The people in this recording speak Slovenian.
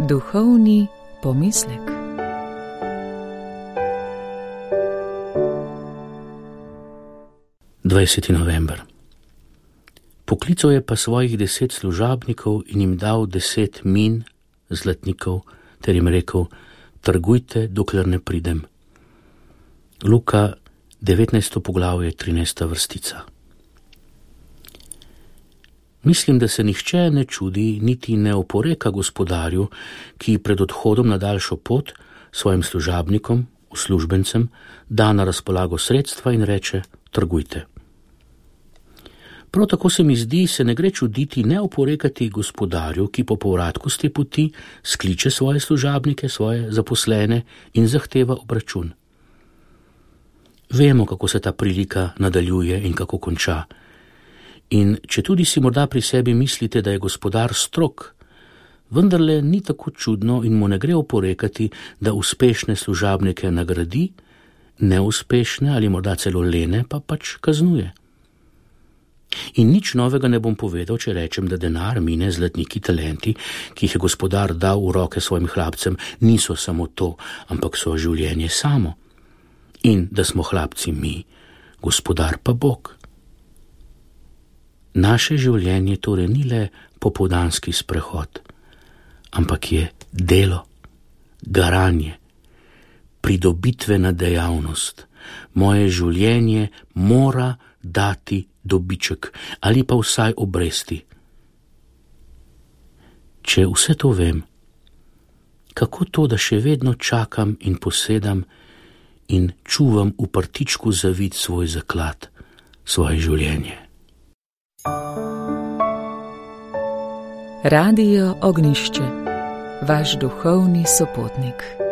Duhovni pomislek. November. Poklical je pa svojih 10 služabnikov in jim dal 10 min, zlatnikov, ter jim rekel: trgujte, dokler ne pridem. Luka 19. poglavje, 13. vrstica. Mislim, da se nihče ne čudi, niti ne oporeka gospodarju, ki pred odhodom na daljšo pot svojim služabnikom, uslužbencem, da na razpolago sredstva in reče: trgujte. Prav tako se mi zdi, se ne gre čuditi, ne oporekati gospodarju, ki po povratku z te poti skliče svoje služabnike, svoje zaposlene in zahteva obračun. Vemo, kako se ta prilika nadaljuje in kako konča. In če tudi si morda pri sebi mislite, da je gospodar strog, vendarle ni tako čudno in mu ne gre oporekati, da uspešne služabnike nagradi, neuspešne ali morda celo lene pa pač kaznuje. In nič novega ne bom povedal, če rečem, da denar, mine, zlatniki, talenti, ki jih je gospodar dal v roke svojim hlapcem, niso samo to, ampak so življenje samo. In da smo hlapci mi, gospodar pa Bog. Naše življenje torej ni le popoldanski sprehod, ampak je delo, garanje, pridobitvena dejavnost. Moje življenje mora dati dobiček ali pa vsaj obresti. Če vse to vem, kako to, da še vedno čakam in posedam in čuvam v prtičku zavit svoj zaklad, svoje življenje? Radio Ognjišče, vaš duhovni sopotnik.